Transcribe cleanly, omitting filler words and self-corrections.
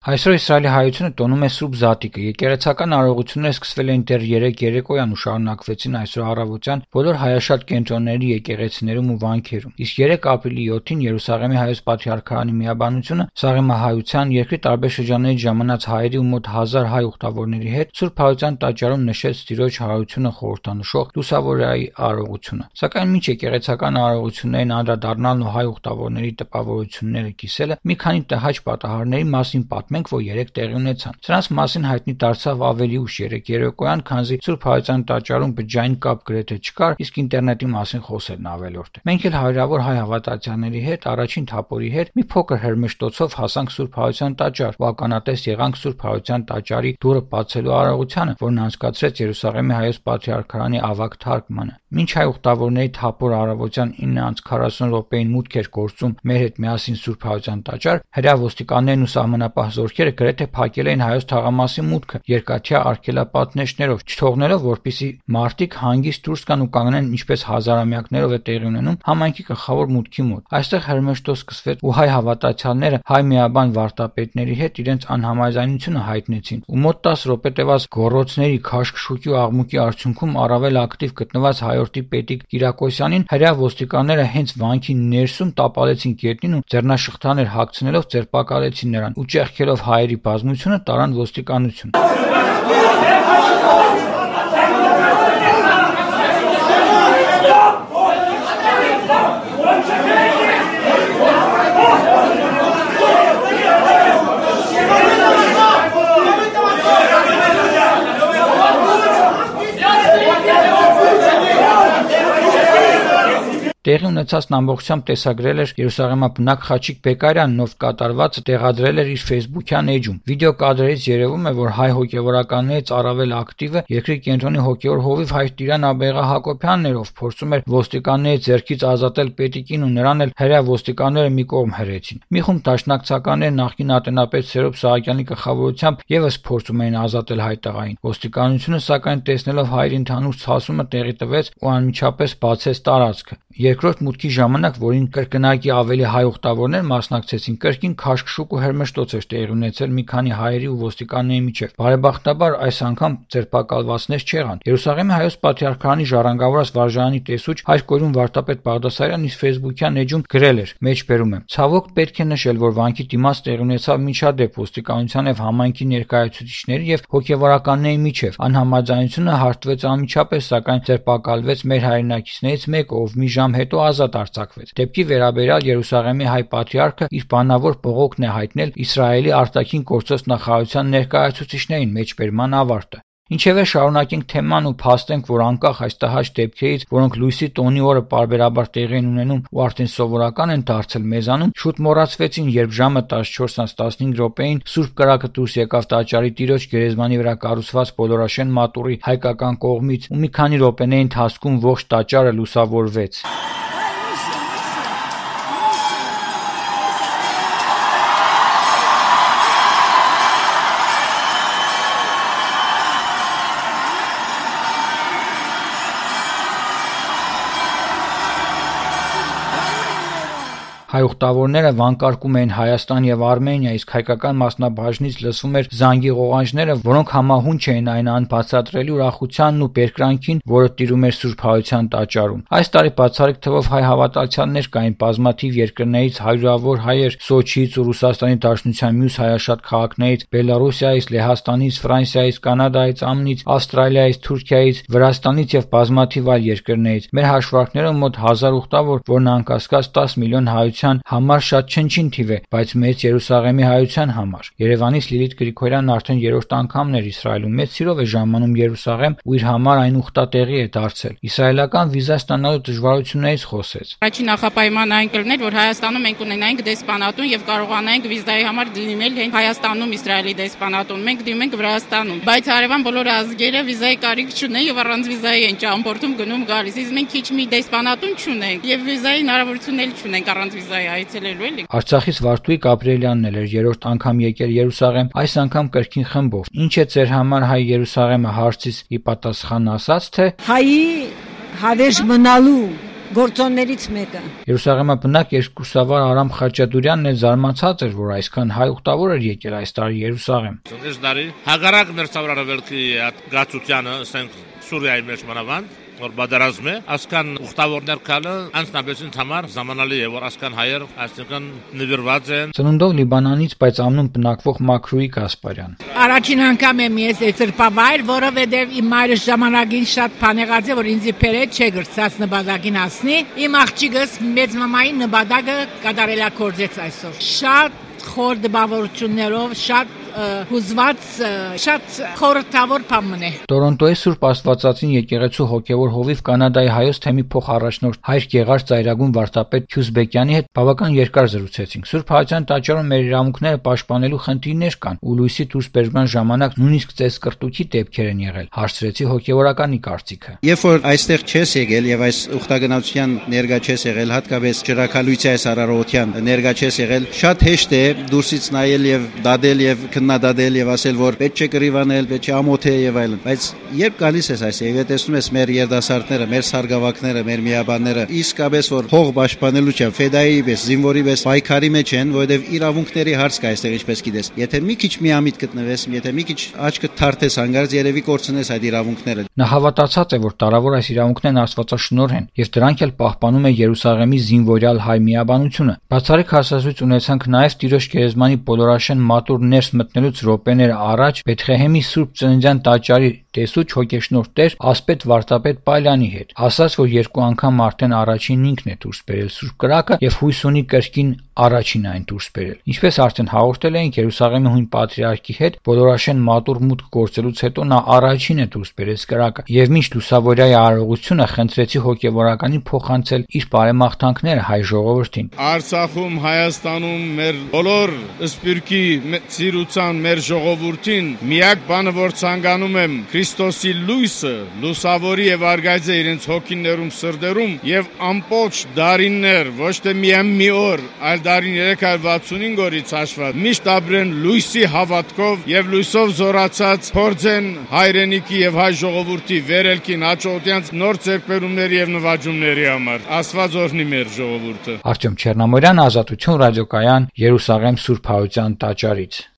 Այսօր Իսրայելի հայությունը տոնում է Սուրբ Զատիկը։ Եկեղեցական արարողությունները սկսվել էին դեռ 3 երեկոյան ու շարունակվեցին այսօր առավոտյան բոլոր հայաշատ կենտրոնների եկեղեցիներում ու վանքերում։ Իսկ 3 ապրիլի 7-ին Երուսաղեմի հայոց պատրիարքարանի միաբանությունը սաղեմահայության երկրի տարբեր շրջաններից ժամանած հայերի ու մոտ 1000 հայ ուխտավորների հետ Սուրբ Հայության տաճարում նշեց Տիրոջ հարությունը խորհրդանշող լուսավորայի արարողությունը։ Սակայն մինչ եկեղեցական արարողություններին անդրադառնալն ու հայ ուխտավորների տպավորությունները կիսելը մի քանի տհաճ պատահարների մասին մենք, որ 3 տեղի ունեցան։ Սրանց մասին հայտնի դարձավ ավելի ուշ 3 երեկոյան, քանզի Սուրբ Հայության տաճարում բջջային կապ գրեթե չկար, իսկ ինտերնետի մասին խոսելն ավելորդ է։ Մենք էլ հարյուրավոր հայ հավատացյալների հետ առաջին թափորի հետ մի փոքր հրմշտոցով հասանք Սուրբ Հայության տաճար ու ականատես եղանք Սուրբ Հայության տաճարի դուռը բացելու արարողությանը, որն անցկացրեց Երուսաղեմի հայոց պատրիարքարանի ավագ թարգմանը։ Մինչ հայ ուխտավորների թափոր առավոտյան 9:40 րոպեին մուտք էր գործում մեր հետ միասին Սուրբ Հայության տաճար, հրեա ոստիկաններն ու սահմանապահ զորքերը գրեթե փակել էին հայոց թաղամասի մուտքը երկաթյա արգելապատնեշներով, չթողնելով, որպեսզի մարդիկ հանգիստ դուրս գան ու կանգնեն, ինչպես հազարամյակներով է տեղի ունենում համայնքի գլխավոր մուտքի մոտ։ Այստեղ հրմշտոց սկսվեց ու հայ հավատացյալները հայ միաբան վարդապետների հետ իրենց անհամաձայնությունը հայտնեցին ու մոտ 10 րոպե տևած գոռոցների, քաշքշուկի ու աղմուկի արդյունքում առավել ակտիվ գտնված հայորդի պետիկ Կիրակոսյանին հրեա ոստիկանները հենց վանքի ներսում տապալեցին գետնին ու ձեռնաշղթաներ հագցնելով ձերբակալեցին նրան ու ճեղքելով հայերի բազմությունը տարան ոստիկանություն։ Տեղի ունեցածն ամբողջությամբ տեսագրել էր Երուսաղեմաբնակ Խաչիկ Բեկարյանն, ով կատարվածը տեղադրել էր իր Facebook-յան էջում։ Վիդեոկադրերից երևում է, որ հայ հոգևորականներից առավել ակտիվը երկրի կենտրոնի հոգևոր հովիվ հայ Տիրան Աբեղա Հակոբյանն էր, ով փորձում էր ոստիկանների ձեռքից ազատել պետիկին ու նրան էլ հրեա ոստիկանները մի կողմ հրեցին։ Մի խումբ դաշնակցականներ նախկին ատենապետ Սերոբ Սահակյանի գլխավորությամբ եւս փորձում էին ազատել հայ տղային։ Ոստիկանությունը սակայն տեսնելով հայերի ընդհանուր ցասումը տեղի տվեց ու անմիջապես բացեց տարածքը։ Երկրորդ մուտքի ժամանակ, որին կրկնակի ավելի հայ ուխտավորներ մասնակցեցին, կրկին քաշքշուկ ու հրմշտոց էր տեղի ունեցել մի քանի հայերի ու ոստիկանների միջև։ Բարեբախտաբար այս անգամ ձերբակալվածներ չեղան։ Երուսաղեմի հայոց պատրիարքարանի ժառանգավորած վարժարանի տեսուչ հայր կորյուն վարդապետ Բաղդասարյանն իր Facebook-յան էջում գրել էր. մեջբերում եմ. ցավոք պետք է նշել, որ վանքի դիմաց տեղի ունեցավ միջադեպ ոստիկանության եւ համայնքի ներկայացուցիչների եւ հոգեվորականների միջև։ Անհամաձայնությունը հարթվեց անմիջապես, սակայն ձերբակալվեց մեր հայրենակիցներից մեկը, ով մի ժամ հետո ազատ արձակվեց։ Դեպքի վերաբերյալ Երուսաղեմի հայ պատրիարքը իր բանավոր բողոքն է հայտնել Իսրայելի արտաքին գործոս նախարարության ներկայացուցիչներին մեջբերման ավարտը։ Ինչևէ շարունակենք թեման ու փաստենք, որ անկախ այս տհաճ դեպքերից, որոնք լույսի տոնի օրը պարբերաբար տեղի են ունենում ու արդեն սովորական են դարձել մեզանում, շուտ մոռացվեցին, երբ ժամը 14:15 րոպեին Սուրբ կրակը դուրս եկավ տաճարի Տիրոջ գերեզմանի վրա կառուցված բոլորաշեն մատուռի հայկական կողմից ու մի քանի րոպեների ընթացքում ողջ տաճարը լուսավորվեց։ Հայ ուխտավորները վանկարկում էին Հայաստան եւ Արմենիա, իսկ հայկական մասնաբաժնից լսվում էր զանգի ղողանջները, որոնք համահունչ էին այն անբացատրելի ուրախությանն ու բերկրանքին, որը տիրում էր Սուրբ Հայության տաճարում։ Այս տարի բացառիկ թվով հայ հավատացյալներ կային բազմաթիվ երկրներից, հարյուրավոր հայեր Սոչիից ու Ռուսաստանի Դաշնության մյուս հայաշատ քաղաքներից, Բելարուսիայից, Լեհաստանից, Ֆրանսիայից, Կանադայից, ԱՄՆ-ից, Ավստրալիայից, Թուրքիայից, Վրաստանից եւ բազմաթիվ այլ երկրներից։ Մեր հաշվարկներով մոտ 1000 ուխտավոր, որն անկասկած 10 միլիոն հայության համար շատ չնչին թիվ է, բայց մեծ Երուսաղեմի հայության համար։ Երևանից Լիլիթ Գրիգորյանն արդեն 3-րդ անգամն էր Իսրայելում, մեծ սիրով է ժամանում Երուսաղեմ ու իր համար այն ուխտատեղի է դարձել։ Իսրայելական վիզա ստանալու դժվարություններից խոսեց։ Առաջին նախապայմանը այն կլներ, որ Հայաստանում մենք ունենայինք դեսպանատուն եւ կարողանայինք վիզայի համար դիմել հենց Հայաստանում Իսրայելի դեսպանատուն։ Մենք դիմում ենք Վրաստանում, բայց հարևան բոլոր ազգերը վիզայի կարիք չունեն եւ առանց վիզայի են ճամփորդում գնում գալիս։ Իսկ մենք քիչ մի դեսպանատուն չունենք եւ վիզայի հնարավորություն էլ չունենք առանց վիզայի այցելելու էլի։ Արցախից Վարդուհի Գաբրիելյանն էր 3-րդ անգամ եկել Երուսաղեմ, այս անգամ կրկին խմբով։ Ինչ է ձեր համար հայ Երուսաղեմը հարցից ի պատասխան ասաց, թե հայի հավերժ մնալու գործոններից մեկը։ Երուսաղեմի բնակ երկուսավար Արամ Խաչատուրյանն էլ զարմացած էր, որ այսքան հայ ուխտավոր էր եկել այս տարի Երուսաղեմ։ Այս տարի հագարակ մերձավորավելքի գացությանը ասենք Սուրիայի մեջ մանավանդ որ բادرազմ է, ասկան ուխտավորներ կալը անձնաբեծին համար զամանալի է, որ ասկան հայեր այսինքն նվիրված են։ Ծնունդով Լիբանանից, բայց ամնում բնակվող Մաքրուհի Գասպարյան։ Առաջին անգամ եմ ես ծրպավայր, որովհետև իմ մայրը ժամանակին շատ բանեղած է, որ ինձ իբերե չէ գրծած նպատակին հասնի։ Իմ աղջիկս մեծ մամային նպատակը կատարելագործեց այսօր։ Շատ խոր դպավորություններով, շատ հուզված, շատ խորհրդավոր բան է։ Տորոնտոյի Սուրբ Աստվածածին եկեղեցու հոգևոր հովիվ Կանադայի հայոց թեմի փոխառաջնորդ Հայր Գեղարդ Ծայրագուն վարդապետ Քյուսբեկյանի հետ բավական երկար զրուցեցինք։ Սուրբ Հայության տաճարում մեր իրավունքները պաշտպանելու խնդիրներ կան, ու լույսի դուրսբերման ժամանակ նույնիսկ ծեսկրտուքի դեպքեր են եղել։ Հարցրեցի հոգևորականի կարծիքը։ Երբ որ այստեղ չես եկել եւ այս ուխտագնացության ներկա չես եղել, հատկապես ջրակալույցի այս արարողության ներկա չես եղել, շատ հեշտ է դուրսից նայել եւ դադել եւ քննադատել եւ ասել, որ պետք չէ կռիվանել, պետք չէ ամոթ է եւ այլն։ Բայց երբ գալիս ես այս եւ տեսնում ես մեր երդասարտները, մեր սարգսակները, մեր միաբանները, իսկապես որ հող պաշտպանելու չէ, ֆեդայի պես, զինվորի պես պայքարի մեջ են, որովհետեւ իրավունքների հարց կա այստեղ, ինչպես գիտես։ Եթե մի քիչ միամիտ գտնվես, եթե մի քիչ աչքդ թարթես հանգարց, երևի կորցնես այդ իրավունքները։ Նա հավատացած է, որ տարավոր այս իրավունքներն Աստվածաշնորհ են եւ դրանք էլ պահպանում է Երուսաղեմի զինվորյալ հայ միաբանությունը։ Բացառիկ հասազույց ունեցանք նաեւ Տիրոջ գերեզմանի բոլորաշեն մատուր ներս մտնելուց րոպեներ առաջ Բեթղեհեմի Սուրբ Ծննդյան տաճարի տեսուչ հոգեշնորհ Տեր ասպետ Վարդապետ Պալյանի հետ։ Ասաց, որ երկու անգամ արդեն առաջին ինքն է դուրս բերել Սուրբ կրակը եւ հույս ունի կրկին առաջին այն դուրս բերել։ Ինչպես արդեն հաղորդել էինք, Երուսաղեմի հույն պատրիարքի հետ բոլորաշեն մատուր մուտք գործելուց հետո նա առաջին է դուրս բերել կրակը եւ մինչ լուսավորյայի արարողությունը խնդրեցի հոգեվորականին փոխանցել իր բարեմաղթանքները հայ ժողովրդին։ Արցախում, Հայաստանում մեր բոլոր սպիրկի ծիրուցան մեր ժողովրդին միակ բանը որ ցանկանում եմ Քրիստոսի լույսը լուսավորի եւ արգայծե իրենց հոգիներում սրտերում եւ ամբողջ դարիններ ոչ թե միայն մի օր այլ դարին 365 օրից հաշված միշտ ապրեն լույսի հավատքով եւ լույսով զորացած փորձեն հայրենիքի եւ հայ ժողովրդի վերելքին հաջողության նոր ձեռքբերումների եւ նվաճումների համար Աստված օրհնի մեր ժողովուրդը։ Արտյոմ Չեռնամորյան, Ազատություն ռադիոկայան, Երուսաղեմ Սուրբ Հայության տաճարից։